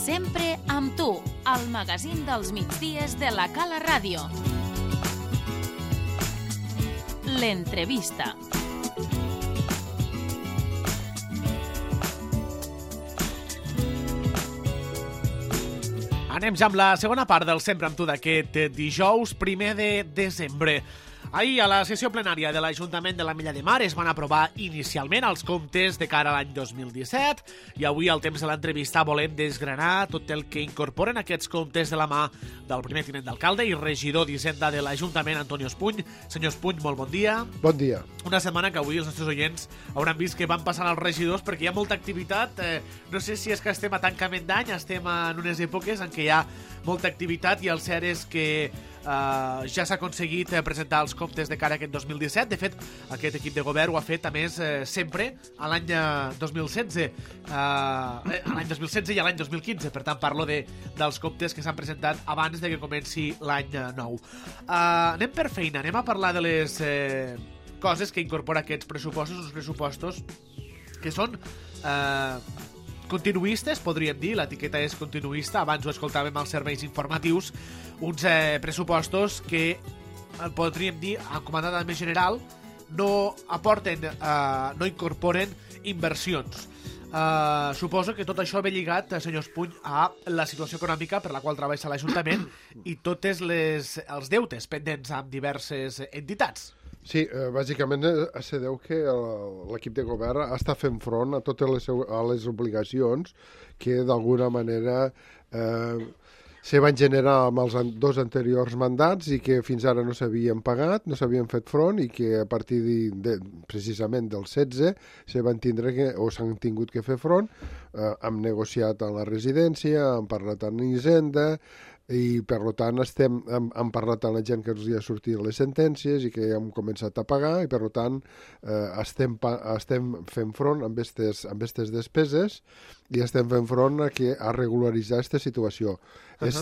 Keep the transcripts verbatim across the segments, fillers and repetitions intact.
Sempre amb tu, al magazín dels migdies de la Cala Ràdio. L'entrevista. Anem ja amb la segona part del Sempre amb tu d'aquest dijous primer de desembre. Ahir, a la sessió plenària de l'Ajuntament de l'Ametlla de Mar es van aprovar inicialment els comptes de cara a l'any dos mil disset i avui, al temps de l'entrevista, volem desgranar tot el que incorporen aquests comptes de la mà del primer tinent d'alcalde i regidor d'Hisenda de l'Ajuntament, Antonio Espuny. Senyor Espuny, molt bon dia. Bon dia. Una setmana que avui els nostres oients hauran vist que van passant els regidors perquè hi ha molta activitat. Eh, no sé si és que estem a tancament d'any, estem en unes èpoques en què hi ha molta activitat i el cert és que Uh, ja s'ha aconseguit uh, presentar els comptes de cara a aquest dos mil disset. De fet, aquest equip de govern ho ha fet, a més, uh, sempre a l'any uh, dos mil setze. Uh, eh, a l'any dos mil setze i a l'any dos mil quinze. Per tant, parlo de, dels comptes que s'han presentat abans de que comenci l'any uh, nou. Uh, anem per feina, anem a parlar de les uh, coses que incorpora aquests pressupostos, uns pressupostos que són Uh, continuistes, podríem dir, l'etiqueta és continuista, abans ho escoltàvem als serveis informatius, uns eh, pressupostos que, eh, podríem dir, encomanada més general, no aporten, eh, no incorporen inversions. Uh, suposo que tot això ve lligat, senyor Espuny, a la situació econòmica per la qual treballa l'Ajuntament i tots les, els deutes pendents amb diverses entitats. Sí, eh, bàsicament eh, se deu que l'equip de govern està fent front a totes les, a les obligacions que d'alguna manera eh, se van generar amb els dos anteriors mandats i que fins ara no s'havien pagat, no s'havien fet front i que a partir de, de, precisament del setze se van tindre que, o s'han tingut que fer front. Eh, hem negociat a la residència, hem parlat amb Hisenda i per tant estem, hem, hem parlat amb la gent que els hi ha sortit les sentències i que hem començat a pagar i per tant eh, estem, estem fent front amb aquestes amb aquestes despeses i estem fent front a, que, a regularitzar aquesta situació. Uh-huh. És,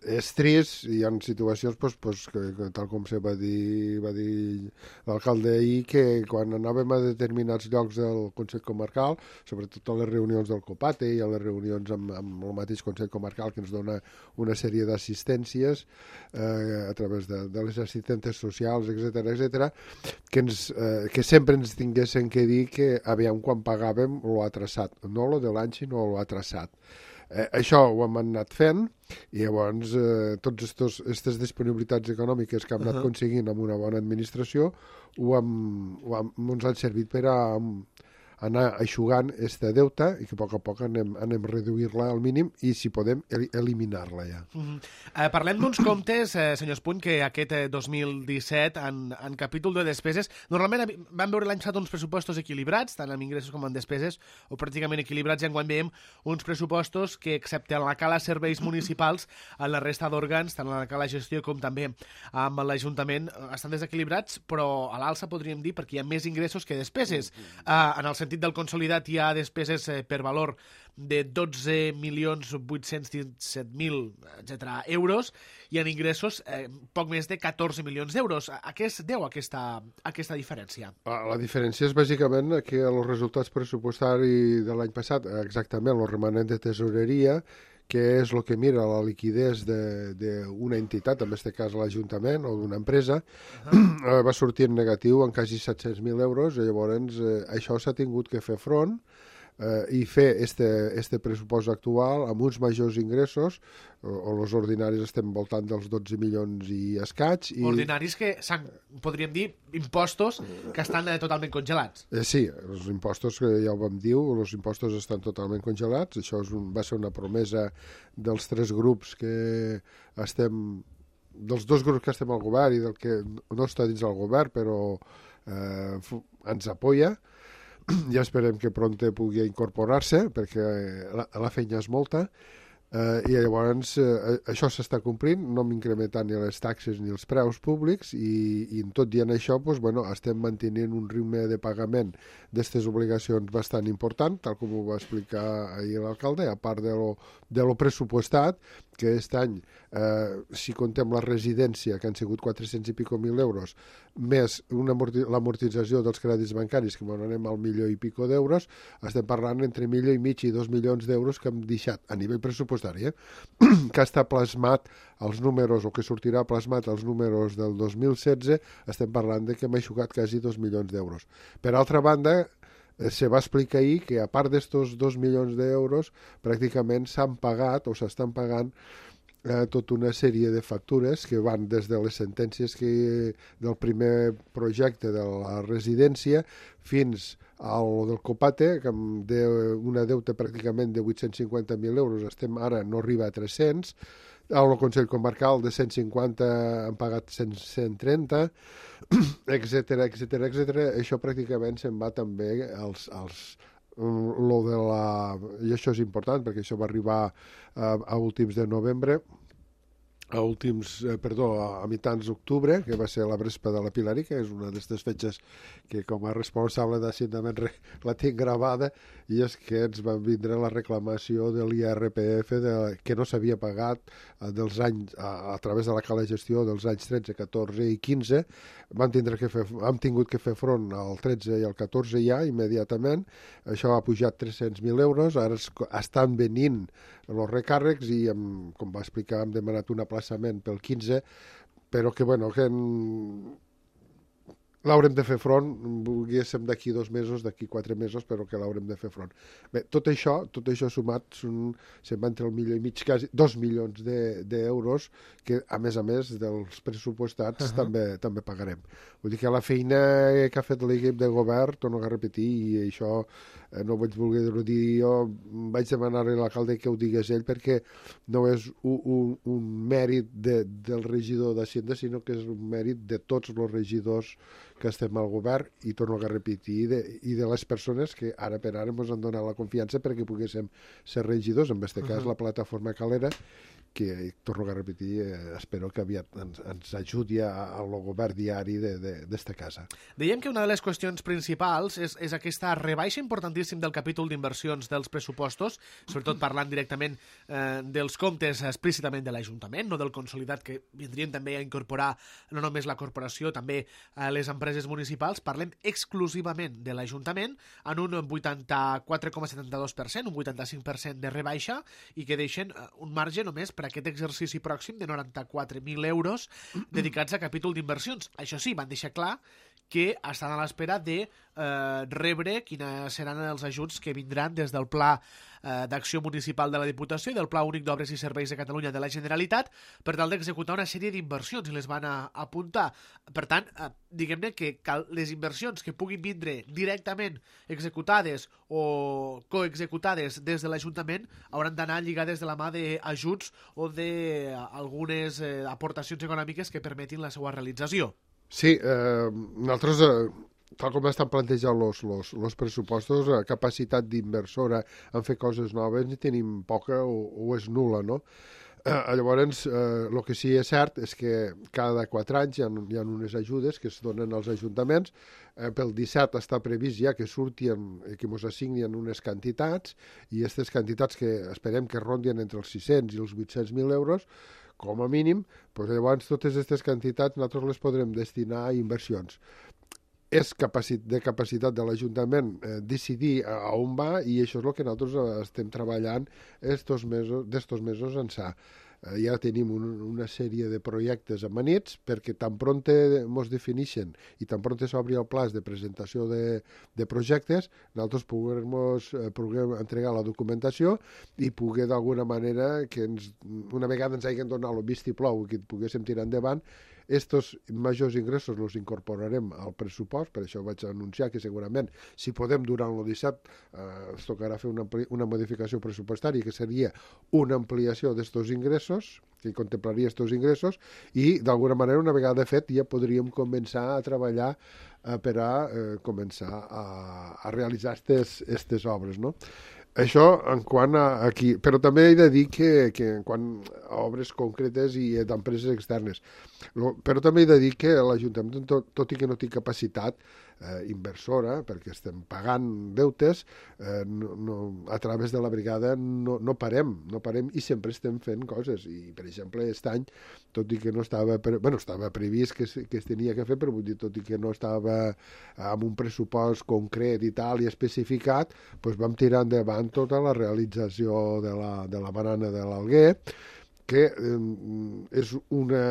és trist, hi ha situacions pues, pues, que, que, tal com se va dir, va dir l'alcalde ahir, que quan anàvem a determinats llocs del Consell Comarcal, sobretot a les reunions del COPATE i a les reunions amb, amb el mateix Consell Comarcal que ens dona una sèrie d'assistències eh, a través de, de les assistentes socials, etcètera, etcètera, que, ens, eh, que sempre ens tinguessin que dir que aviam quan pagàvem lo ha traçat, no lo de l'any sinó lo ha traçat. Eh, això ho hem anat fent i llavors eh, totes aquestes disponibilitats econòmiques que hem anat uh-huh. aconseguint amb una bona administració ho hem, ho hem, ens han servit per a um, anar aixugant este deute i que a poc a poc anem, anem a reduir-la al mínim i, si podem, el, eliminar-la ja. Uh-huh. eh, parlem d'uns comptes, eh, senyor Espuny, que aquest eh, dos mil disset, en, en capítol de despeses, normalment vam veure l'any passat uns pressupostos equilibrats, tant en ingressos com en despeses, o pràcticament equilibrats, i enguany veiem uns pressupostos que, excepte en la cala serveis municipals, en la resta d'òrgans, tant en la cala gestió com també amb l'Ajuntament, estan desequilibrats, però a l'alça podríem dir perquè hi ha més ingressos que despeses. Eh, en el sentit del consolidat hi ha despeses eh, per valor de dotze milions vuit-cents disset mil etcètera euros i en ingressos eh, poc més de catorze milions d'euros. A què es deu aquesta, aquesta diferència? La diferència és bàsicament que els resultats pressupostaris de l'any passat, exactament el remanent de tesoreria, que és el que mira la liquidez d'una entitat, en aquest cas l'Ajuntament o d'una empresa, uh-huh. va sortir en negatiu en quasi set-cents mil euros i llavors eh, això s'ha tingut que fer front eh, i fer este, este pressupost actual amb uns majors ingressos, o, o els ordinaris estem voltant dels dotze milions i escaig. I... Ordinaris que s'han, podríem dir, impostos que estan eh, totalment congelats. Eh, sí, els impostos, que ja ho vam dir, els impostos estan totalment congelats. Això és un, va ser una promesa dels tres grups que estem, dels dos grups que estem al govern i del que no està dins del govern, però eh, ens apoya. Ja esperem que pronte pugui incorporar-se, perquè la, la feina és molta, eh, i llavors eh, això s'està complint, no hem incrementat ni les taxes ni els preus públics, i, i tot dient això, doncs, bueno, estem mantenint un ritme de pagament d'aquestes obligacions bastant important, tal com ho va explicar ahir l'alcalde, a part de lo, de lo pressupostat, que aquest any, eh, si contem la residència, que han sigut quatre-cents i pico mil euros, més una amorti l'amortització dels crèdits bancaris, que anem al milió i pico d'euros, estem parlant entre milió i mig i dos milions d'euros que hem deixat a nivell pressupostari, eh? que està plasmat els números, o que sortirà plasmat els números del dos mil setze, estem parlant de que hem aixugat quasi dos milions d'euros. Per altra banda, se va explicar ahir que a part d'estos dos milions d'euros pràcticament s'han pagat o s'estan pagant eh, tota una sèrie de factures que van des de les sentències que, del primer projecte de la residència fins al del Copate, que amb de, una deuta pràcticament de vuit-cents cinquanta mil euros, estem ara no arriba a tres-cents, al Consell Comarcal de cent cinquanta han pagat cent, cent trenta, etcètera, etcètera, etcètera. Això pràcticament se'n va també als, als, lo de la... I això és important, perquè això va arribar a, a últims de novembre, a últims, eh, perdó, a, a mitjans d'octubre, que va ser la Vespa de la Pilari, que és una d'aquestes fetges que com a responsable d'Assentament la tinc gravada, i és que ens van vindre la reclamació de l'I R P F de, que no s'havia pagat eh, dels anys, a, a través de la cala gestió dels anys tretze, catorze i quinze. Vam, tindre que fer, hem tingut que fer front al tretze i al catorze ja, immediatament. Això ha pujat tres-cents mil euros, ara es, estan venint els recàrrecs i, hem, com va explicar, hem demanat un aplaçament pel quinze, però que, bueno, que en... l'haurem de fer front, volguéssim d'aquí dos mesos, d'aquí quatre mesos, però que l'haurem de fer front. Bé, tot això, tot això sumat, són, se'n va entre el milió i mig, quasi dos milions d'euros, de, que a més a més dels pressupostats uh -huh. també, també pagarem. Vull dir que la feina que ha fet l'equip de govern, torno a repetir, i això eh, no ho vaig voler dir jo, vaig demanar a l'alcalde que ho digués ell, perquè no és un, un, un mèrit de, del regidor d'Hacienda, sinó que és un mèrit de tots els regidors que estem al govern, i torno a repetir, i de, i de les persones que ara per ara ens han donat la confiança perquè poguéssim ser regidors, en aquest cas uh -huh. la plataforma Calera, que, torno a repetir, eh, espero que aviat ens, ens ajudi al govern diari d'esta de, casa. Dèiem que una de les qüestions principals és, és aquesta rebaixa importantíssim del capítol d'inversions dels pressupostos, sobretot parlant directament eh, dels comptes explícitament de l'Ajuntament, no del consolidat, que vindrien també a incorporar no només la corporació, també eh, les empreses municipals. Parlem exclusivament de l'Ajuntament en un vuitanta-quatre coma setanta-dos per cent, un vuitanta-cinc per cent de rebaixa, i que deixen eh, un marge només per aquest exercici pròxim de noranta-quatre mil euros dedicats a capítol d'inversions. Això sí, van deixar clar que estan a l'espera de eh, rebre quins seran els ajuts que vindran des del Pla eh, d'Acció Municipal de la Diputació i del Pla Únic d'Obres i Serveis de Catalunya de la Generalitat per tal d'executar una sèrie d'inversions, i les van a apuntar. Per tant, eh, diguem-ne que cal, les inversions que puguin vindre directament executades o coexecutades des de l'Ajuntament hauran d'anar lligades de la mà d'ajuts o d'algunes eh, aportacions econòmiques que permetin la seva realització. Sí, eh, nosaltres, eh, tal com estan plantejats els pressupostos, la capacitat d'inversora en fer coses noves ni tenim poca o, o és nula, no? Eh, llavors, el eh, que sí és cert és que cada quatre anys hi ha, hi ha unes ajudes que es donen als ajuntaments. Eh, pel disset està previst ja que surtin, que ens assignin unes quantitats, i aquestes quantitats que esperem que rondien entre els sis-cents i els vuit-cents mil euros, com a mínim, doncs llavors totes aquestes quantitats nosaltres les podrem destinar a inversions. És capaci de capacitat de l'Ajuntament eh, decidir a, a on va, i això és el que nosaltres eh, estem treballant estos mesos, d'estos mesos ençà. Eh, ja tenim un, una sèrie de projectes amanits perquè tan pront ens defineixen i tan pront s'obri el pla de presentació de, de projectes, nosaltres puguem, eh, puguem entregar la documentació i poder d'alguna manera que ens, una vegada ens hagin donat el vistiplau i que poguéssim tirar endavant, estos majors ingressos els incorporarem al pressupost. Per això vaig anunciar que segurament, si podem durant el disset, eh, es tocarà fer una, una modificació pressupostària, que seria una ampliació d'estos ingressos, que contemplaria estos ingressos, i d'alguna manera, una vegada fet, ja podríem començar a treballar eh, per a eh, començar a, a realitzar aquestes obres, no? Això en quant a aquí, però també he de dir que, que en quant a obres concretes i d'empreses externes, Lo, però també he de dir que l'Ajuntament, tot, tot i que no té capacitat eh, inversora, perquè estem pagant deutes, eh, no, no, a través de la brigada no, no parem, no parem i sempre estem fent coses. I, per exemple, aquest any, tot i que no estava, pre, bueno, estava previst que, que es tenia que fer, però vull dir, tot i que no estava amb un pressupost concret i tal, i especificat, doncs vam tirar endavant tota la realització de la, de la barana de l'Alguer, que eh, és una...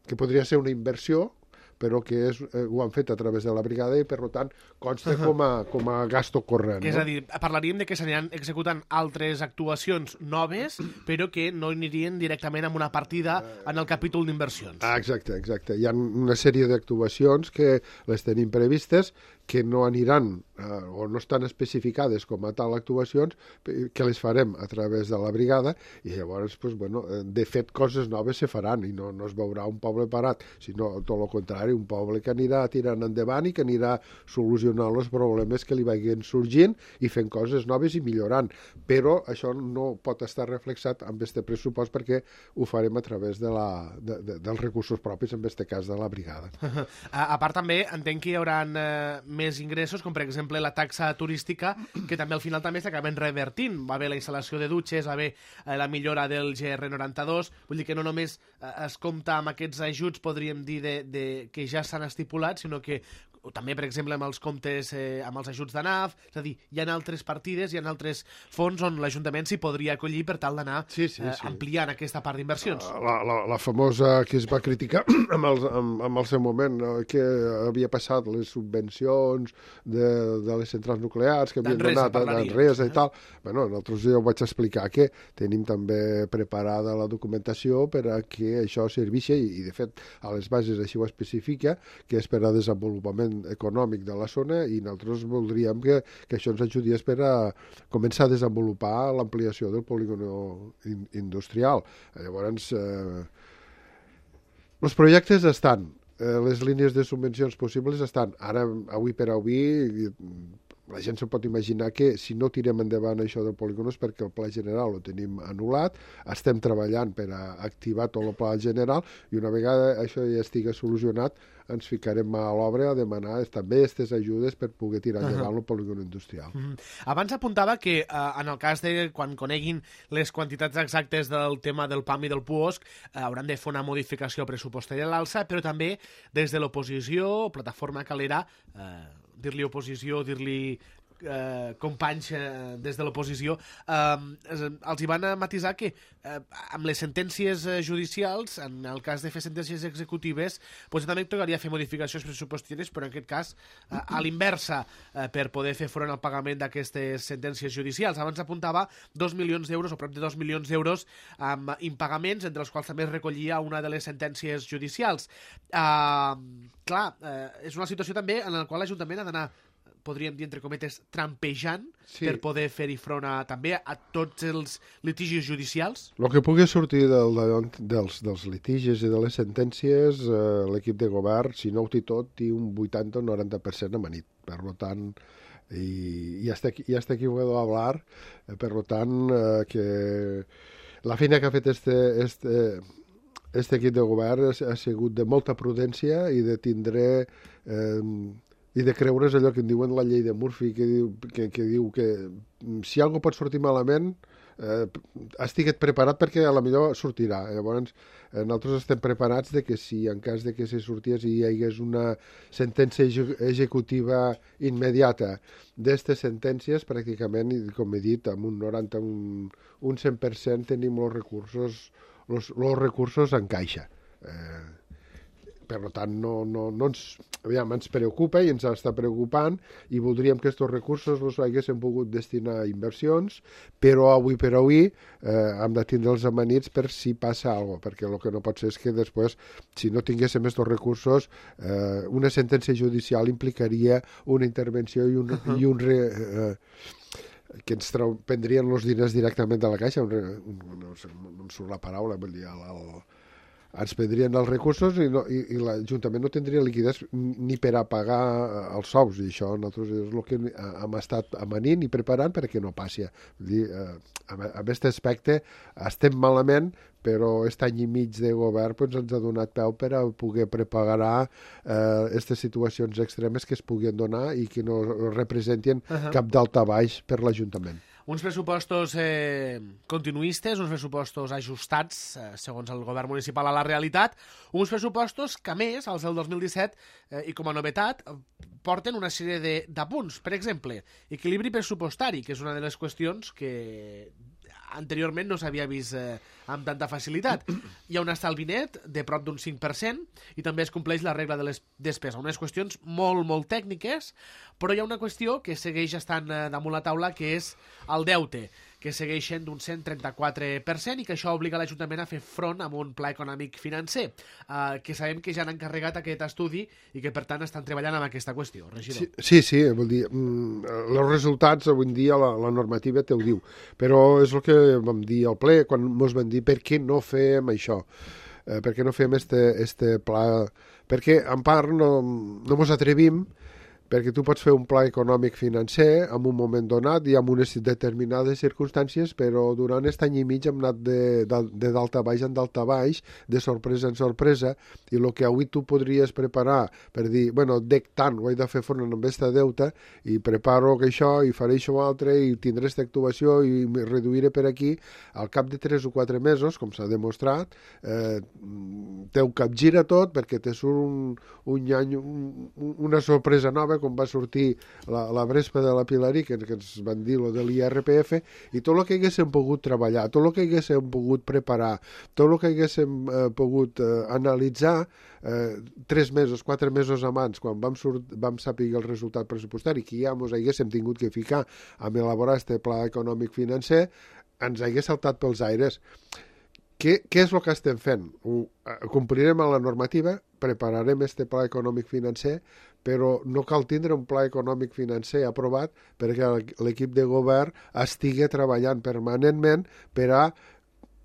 que podria ser una inversió, però que és, eh, ho han fet a través de la brigada i, per tant, consta com a, com a gasto corrent. És no? a dir, parlaríem de que s'aniran executant altres actuacions noves, però que no anirien directament amb una partida en el capítol d'inversions. Ah, exacte, exacte. Hi ha una sèrie d'actuacions que les tenim previstes, que no aniran eh, o no estan especificades com a tal actuacions, que les farem a través de la brigada, i llavors, pues, bueno, de fet, coses noves se faran i no, no es veurà un poble parat, sinó tot el contrari, un poble que anirà tirant endavant i que anirà solucionant els problemes que li vagin sorgint i fent coses noves i millorant. Però això no pot estar reflexat amb este pressupost perquè ho farem a través de la, de, de, dels recursos propis, en este cas de la brigada. A, a part també entenc que hi haurà eh, més ingressos, com per exemple la taxa turística, que també al final també s'acaben revertint. Va haver la instal·lació de dutxes, va haver eh, la millora del G R noranta-dos, vull dir que no només eh, es compta amb aquests ajuts, podríem dir, de, de, que ja s'han estipulat, sinó que o també, per exemple, amb els comptes, eh, amb els ajuts de N A F, és a dir, hi ha altres partides, hi ha altres fons on l'Ajuntament s'hi podria acollir per tal d'anar sí, sí, eh, sí. ampliant aquesta part d'inversions. La, la, la famosa que es va criticar amb el, amb, amb el seu moment, no? Que havia passat les subvencions de, de les centrals nuclears que havien donat a Manresa i tal. Bueno, nosaltres ja ho vaig explicar que tenim també preparada la documentació per a que això serveixi i, i de fet, a les bases així ho especifica, que és per a desenvolupament econòmic de la zona i nosaltres voldríem que, que això ens ajudés per a començar a desenvolupar l'ampliació del polígon in, industrial. Llavors, eh, els projectes estan, eh, les línies de subvencions possibles estan. Ara, avui per avui, la gent se pot imaginar que si no tirem endavant això del polígon és perquè el pla general ho tenim anul·lat, estem treballant per a activar tot el pla general i una vegada això ja estigui solucionat ens ficarem a l'obra a demanar també aquestes ajudes per poder tirar endavant uh -huh. el polígon industrial. Uh -huh. Abans apuntava que eh, en el cas de quan coneguin les quantitats exactes del tema del P A M i del P U O S C eh, hauran de fer una modificació pressupostària a l'alça, però també des de l'oposició, plataforma Calera, eh, dir-li oposició, dir-li eh, companys eh, des de l'oposició, eh, els hi van a matisar que eh, amb les sentències eh, judicials, en el cas de fer sentències executives, doncs també tocaria fer modificacions pressupostàries, però en aquest cas eh, a l'inversa, eh, per poder fer front al pagament d'aquestes sentències judicials. Abans apuntava dos milions d'euros, o prop de dos milions d'euros, amb impagaments, entre els quals també es recollia una de les sentències judicials. Eh, clar, eh, és una situació també en la qual l'Ajuntament ha d'anar, podríem dir, entre cometes, trampejant sí. per poder fer-hi front a, també a tots els litigis judicials? El que pugui sortir del, dels, dels litigis i de les sentències, eh, l'equip de govern, si no ho té tot, té un vuitanta o noranta per cent amanit. Per tant, i, i hasta aquí, y hasta aquí puedo hablar, eh, per tant, eh, que la feina que ha fet este, este, este equip de govern ha, ha sigut de molta prudència i de tindre... Eh, i de creure's allò que en diuen la llei de Murphy, que diu que, que, diu que si algo pot sortir malament, eh, estiguet preparat perquè a la millor sortirà. Llavors, eh, nosaltres estem preparats de que si en cas de que se sorties i hi hagués una sentència executiva immediata d'aquestes sentències, pràcticament, com he dit, amb un noranta, un, un cent per cent tenim els recursos, els, els recursos en caixa. Eh, per tant, no, no, no ens, aviam, ens preocupa i ens està preocupant i voldríem que aquests recursos els haguéssim pogut destinar a inversions, però avui per avui eh, hem de tindre els amanits per si passa alguna cosa, perquè el que no pot ser és que després, si no tinguéssim aquests recursos, eh, una sentència judicial implicaria una intervenció i un, uh-huh. i un re, eh, que ens trau, prendrien els diners directament de la caixa, un, un, no sé, no em surt la paraula, vull dir, el, el ens prendrien els recursos i, no, i, i l'Ajuntament no tindria liquiditat ni per a pagar els sous, i això nosaltres és el que hem estat amanint i preparant perquè no passi. Vull dir, eh, en aquest aspecte estem malament, però aquest any i mig de govern pues, ens ha donat peu per a poder preparar aquestes eh, situacions extremes que es puguin donar i que no representin uh-huh. cap daltabaix per l'Ajuntament. Uns pressupostos eh, continuistes, uns pressupostos ajustats, eh, segons el govern municipal, a la realitat, uns pressupostos que, a més, als del dos mil disset, eh, i com a novetat, porten una sèrie d'apunts. Per exemple, equilibri pressupostari, que és una de les qüestions que anteriorment no s'havia vist eh, amb tanta facilitat. Hi ha un estalvi net de prop d'un cinc per cent i també es compleix la regla de les despeses. Unes qüestions molt, molt tècniques, però hi ha una qüestió que segueix estant eh, damunt la taula, que és el deute, que segueix sent d'un cent trenta-quatre per cent i que això obliga l'Ajuntament a fer front amb un pla econòmic financer, eh, que sabem que ja han encarregat aquest estudi i que, per tant, estan treballant amb aquesta qüestió. Regidor. Sí, sí, sí vol dir, mm, els resultats avui en dia la, la normativa te ho diu, però és el que vam dir al ple quan ens van dir per què no fem això, eh, per què no fem este, este pla, perquè en part no, no ens atrevim, perquè tu pots fer un pla econòmic financer en un moment donat i amb unes determinades circumstàncies, però durant aquest any i mig hem anat de, de, de dalt a baix en dalt a baix, de sorpresa en sorpresa, i el que avui tu podries preparar per dir, bueno, dec tant, ho he de fer front amb aquesta deuta, i preparo que això, i faré això altre, i tindré aquesta actuació, i me reduiré per aquí, al cap de tres o quatre mesos, com s'ha demostrat, eh, teu capgira tot, perquè te surt un, un any, un, una sorpresa nova, com va sortir la, la Brespa de la Pilarí, que, que ens van dir lo de l'I R P F, i tot el que haguéssim pogut treballar, tot el que haguéssim pogut preparar, tot el que haguéssim eh, pogut eh, analitzar eh, tres mesos, quatre mesos abans, quan vam, surt, vam saber el resultat pressupostari, que ja ens haguéssim tingut que ficar a elaborar este pla econòmic financer, ens hagués saltat pels aires. Què, què és el que estem fent? Ho, complirem a la normativa, prepararem este pla econòmic financer, però no cal tindre un pla econòmic financer aprovat perquè l'equip de govern estigui treballant permanentment per a,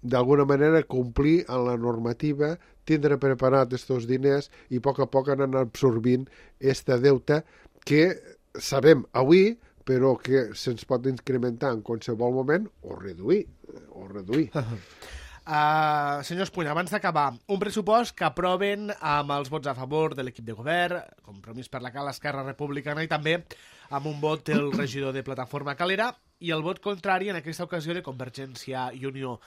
d'alguna manera, complir amb la normativa, tindre preparat aquests diners i a poc a poc anar absorbint aquesta deuta que sabem avui, però que se'ns pot incrementar en qualsevol moment o reduir. O reduir. Uh, senyor Espuny, abans d'acabar, un pressupost que aproven amb els vots a favor de l'equip de govern, Compromís per la Cala, Esquerra Republicana, i també amb un vot del regidor de Plataforma Calera i el vot contrari en aquesta ocasió de Convergència i Unió.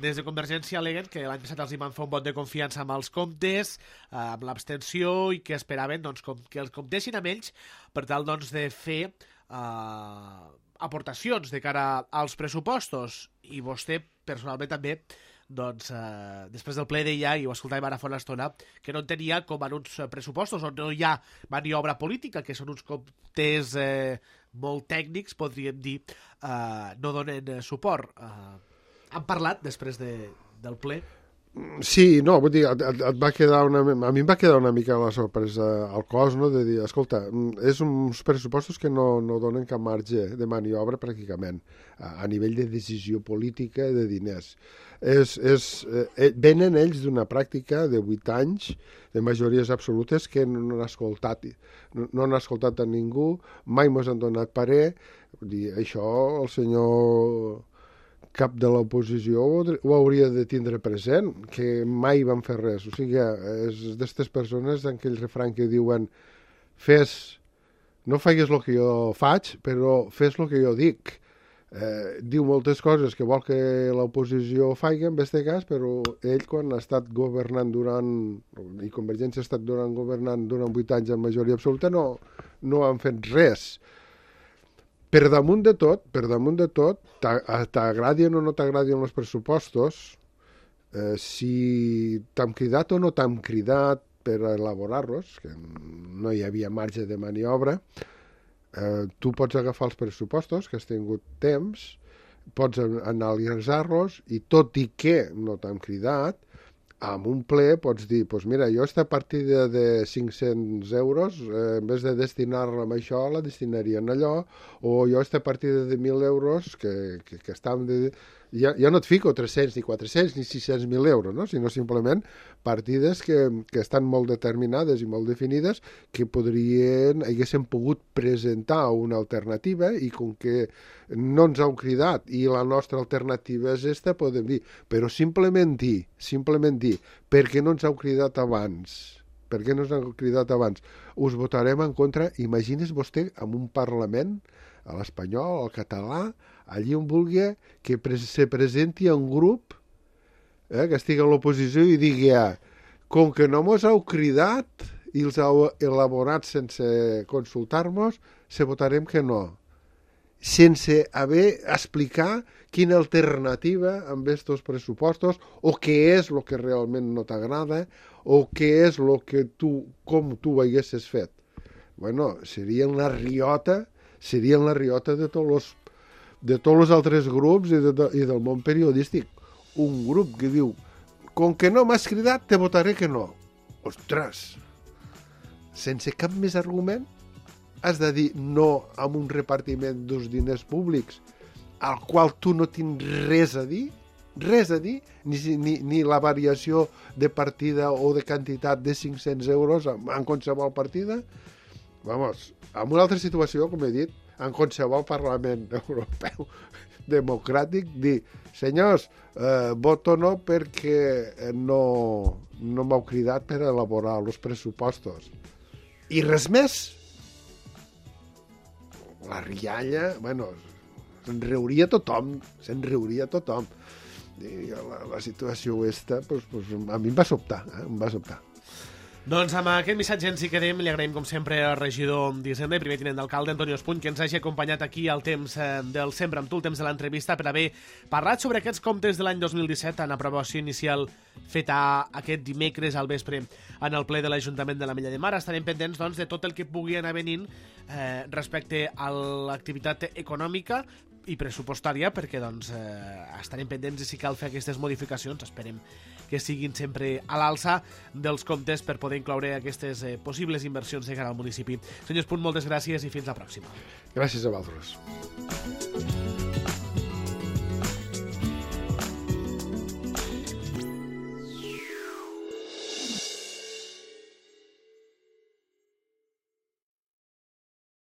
Des de Convergència aleguen que l'any passat els hi van fer un vot de confiança amb els comptes, eh, amb l'abstenció, i que esperaven doncs, com, que els comptessin amb ells per tal doncs, de fer eh, aportacions de cara als pressupostos. I vostè, personalment, també doncs, eh, després del ple deia, i ho escoltàvem ara fa una estona, que no entenia com en uns pressupostos on no hi ha maniobra política, que són uns comptes eh, molt tècnics, podríem dir, eh, no donen suport. Eh, han parlat després de, del ple? Sí, no, vull dir, et, et va quedar una, a mi em va quedar una mica la sorpresa al cos, no?, de dir, escolta, és uns pressupostos que no, no donen cap marge de maniobra pràcticament a, a nivell de decisió política de diners. És, és, eh, venen ells d'una pràctica de vuit anys de majories absolutes que no han escoltat, no, no han escoltat a ningú, mai mos han donat parer. Vull dir, això el senyor cap de l'oposició ho hauria de tindre present, que mai van fer res. O sigui, és d'aquestes persones en aquell refrany que diuen fes, no faigues el que jo faig, però fes el que jo dic. Eh, diu moltes coses que vol que l'oposició faci en aquest cas, però ell quan ha estat governant durant, i Convergència ha estat durant governant durant vuit anys en majoria absoluta, no, no han fet res. Per damunt de tot, per damunt de tot, t'agradien o no t'agradien els pressupostos, eh, si t'hem cridat o no t'hem cridat per elaborar-los, que no hi havia marge de maniobra, eh, tu pots agafar els pressupostos, que has tingut temps, pots analitzar-los, i tot i que no t'hem cridat, amb un ple pots dir, doncs mira, jo aquesta partida de cinc-cents euros, eh, en vez de destinar-la a això, la destinaria en allò, o jo aquesta partida de mil euros, que, que, que estàvem de, ja, ja no et fico tres-cents, ni quatre-cents, ni sis-cents mil euros, no? Sinó simplement partides que, que estan molt determinades i molt definides, que podrien, haguessin pogut presentar una alternativa, i com que no ens heu cridat i la nostra alternativa és esta, podem dir, però simplement dir, simplement dir, perquè no ens heu cridat abans, per què no ens heu cridat abans? Us votarem en contra. Imagini's vostè en un Parlament, a l'espanyol, al català, allí on vulgui, que pre se presenti un grup eh, que estigui a l'oposició i digui, ah, com que no mos heu cridat i els heu elaborat sense consultar-nos, se votarem que no. Sense haver explicar quina alternativa amb estos pressupostos, o què és el que realment no t'agrada, o què és el que tu, com tu ho haguessis fet. Bueno, seria la riota, seria la riota de tots els de tots els altres grups i, de, i del món periodístic. Un grup que diu, com que no m'has cridat, te votaré que no. Ostres! Sense cap més argument, has de dir no amb un repartiment dels diners públics al qual tu no tens res a dir, res a dir, ni, ni, ni la variació de partida o de quantitat de cinc-cents euros en, en qualsevol partida. Vamos, en una altra situació, com he dit, en qualsevol Parlament Europeu democràtic, dir, senyors, eh, voto no perquè no, no m'heu cridat per elaborar els pressupostos. I res més. La rialla, bueno, se'n riuria tothom, se'n riuria tothom. I la, la situació aquesta, pues, pues, a mi em va sobtar, eh? em va sobtar. Doncs amb aquest missatge ens hi quedem. Li agraïm com sempre al regidor d'Hisenda i primer tinent d'alcalde Antonio Espuny que ens hagi acompanyat aquí al temps del Sembra amb tu, el temps de l'entrevista, per haver parlat sobre aquests comptes de l'any dos mil disset en aprovació inicial feta aquest dimecres al vespre en el ple de l'Ajuntament de l'Ametlla de Mar. Estarem pendents, doncs, de tot el que pugui anar venint eh, respecte a l'activitat econòmica i pressupostària, perquè doncs, eh, estarem pendents i si cal fer aquestes modificacions, esperem que siguin sempre a l'alça dels comptes per poder incloure aquestes eh, possibles inversions de cara al municipi. Senyor Espuny, moltes gràcies i fins la pròxima. Gràcies a vosaltres.